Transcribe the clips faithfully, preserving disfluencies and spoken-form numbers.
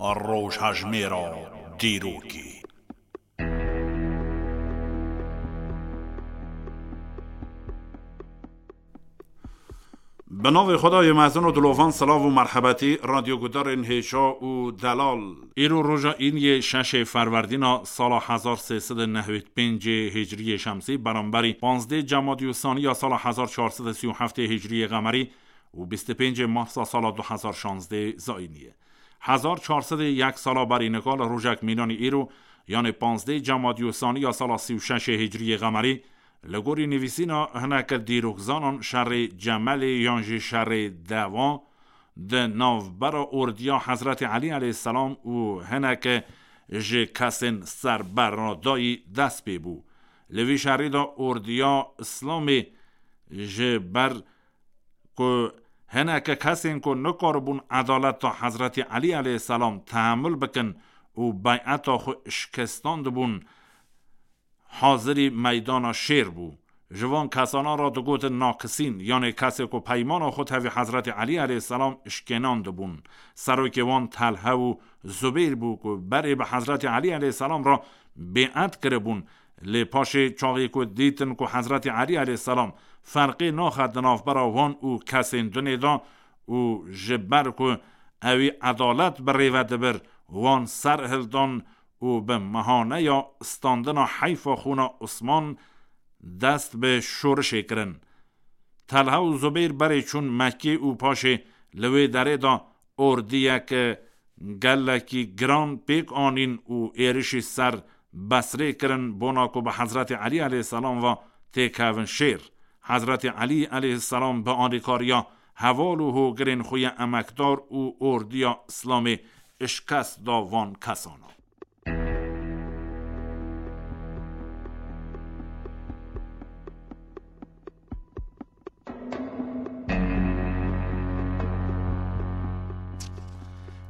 Rojhejmêra dîrokê. Bi navê Xwedayê mezin û dilovan silav û merhebetî, radyogudarên hêja û delal. Îro roja îniyê şeşê Ferwerdîna sala hezar sê sed û nehwêd pêncê Hicriyê Şemsî, beramberî panzdê Cemadî û Sanî ya sala hezar çar sed û sî û heftê Hicriyê Qemerî û bîst û pêncê Marsa sala du hezar şazdê Zayînî ye. Hezar çar sed û yek sala berî nika li rojek mînanî îro, yanê panzdê Cemadî û Sanî ya sala sî û şeşê Hicriyê Qemerî, li gorî nivîsîna hineke dîrokzanan şerê Cemelê yan jî şerê Dewa di navbera ordiya Hezretî Elî eleyhîsselam û hineke ji kesên serberadayî dest pê bû. Li vî şerî de ordiya Îslamê ji ber ku hineke kesên ku nikaribûn edaleta Hezretî Elî eleyhîsselam tehemul bikin û beyeta xwe şikestandibûn, hazirî meydana şêr bû. Ji van kesana re digotin nakisîn, yanê kesê ku peymana xwe tevî Hezretî Elî eleyhîsselam şikênandibûn. Serokê wan Telhe û Zubeyr bû ku berê bi Hezretî Elî eleyhîsselam re bê'et kiribûn. Lê paşê çaxê ku dîtin ku Hezretî Elî eleyhîsselam ferqê naxe di navbera wan û kesên dinê de û ji ber ku ewî edalet bi rê ve dibir, wan ser hildan û bi mihaneya standina heyfa xûna Osman dest bi şorişê kirin. Telha û Zubeyr berê çûn Mekkê û paşê li wê derê de ordiyek gelekî giran pêk anîn û êrişî ser Besrê kirin, bona ku bi Hezretî Elî eleyhîsselam ve têkevin şêr. Hezretî Elî eleyhîsselam bi alîkariya heval û hogirên xwe yê emekdar û ordiya Îslamê şikest da van kesana.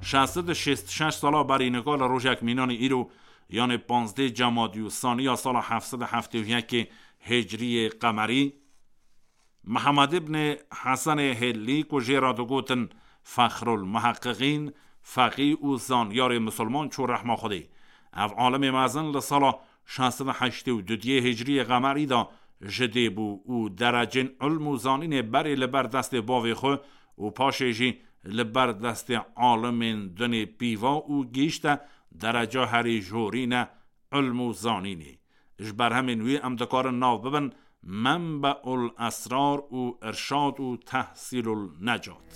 Şeş sed û şêst û şeş sala berî nika li rojek mînanî îro, yanê panzdê Cemadî û Sanî ya sala heft sed û heftê û yekê Hicriyê Qemerî, Mihemed îbnê Hesenê Hêlî ku jê re digotin Fexrul Muheqqiqîn, feqî û zanyarê misilman çû rehma Xwedê. Ev alimê mezin li sala şeş sed û heştê û duyê Hicriyê Qemerî de ji dê bû û derecên ilm û zanînê berê li ber destê bavê xwe û paşê jî li ber destê alimên dinê pîva û gihîşte dereca herî jorîne ilm û zanînê. Ji berhemên wî em dikarin nav bibin Menbeul Esrar û Irşad û Tehsîlul Necat.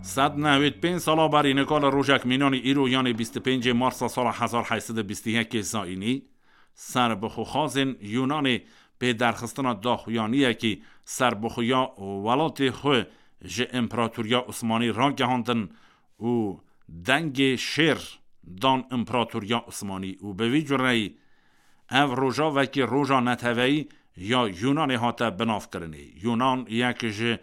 Sed nehwêd pênc sala berî nika li rojek mînanî îro, yanê bîst û pêncê Marsa sala hezar heyt sed û bîst û yekê Zayînî, serbixwexazên Yûnanê pê derxistina daxuyaniyekî serbixweya welatê xwe ji Împeratoriya Osmanî ragihandin û dengê şêr dan Împeratoriya Osmanî û bi vî cureyî ev roja wekî roja neteweyî ya Yûnanê hate binavkirinê. Yûnan yek ji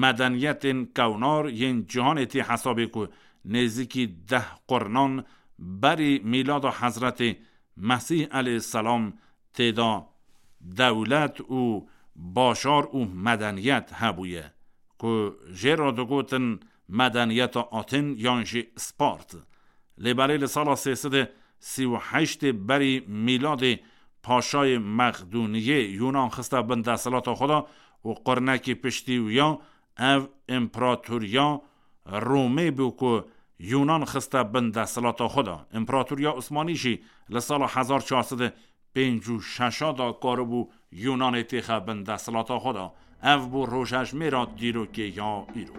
medeniyetên kewnar yên cîhanê tê hesabê ku nêzîkî deh qurnan berî mîlada Hezretê Mesîh eleyhîsselam tê de dewlet û bajar û medeniyet hebûye, ku jê re digotin medeniyeta Aten yan jî Spart. Lê belê li sala sê sed û sî û heştê berî mîladê paşayê Mexdûniyê Yûnan xiste bin desthilata xwe de û qurnekî piştî wî ya ev împeratoriya Romê bû ku Yûnan xiste bin desthilata xwe de. Împeratoriya Osmanî jî li sala hezar çar sed û pêncî û şeş de karibû Yûnanê têxe bin desthilata xwe de. Ev bû rojhejmêra dîrokê ya îro.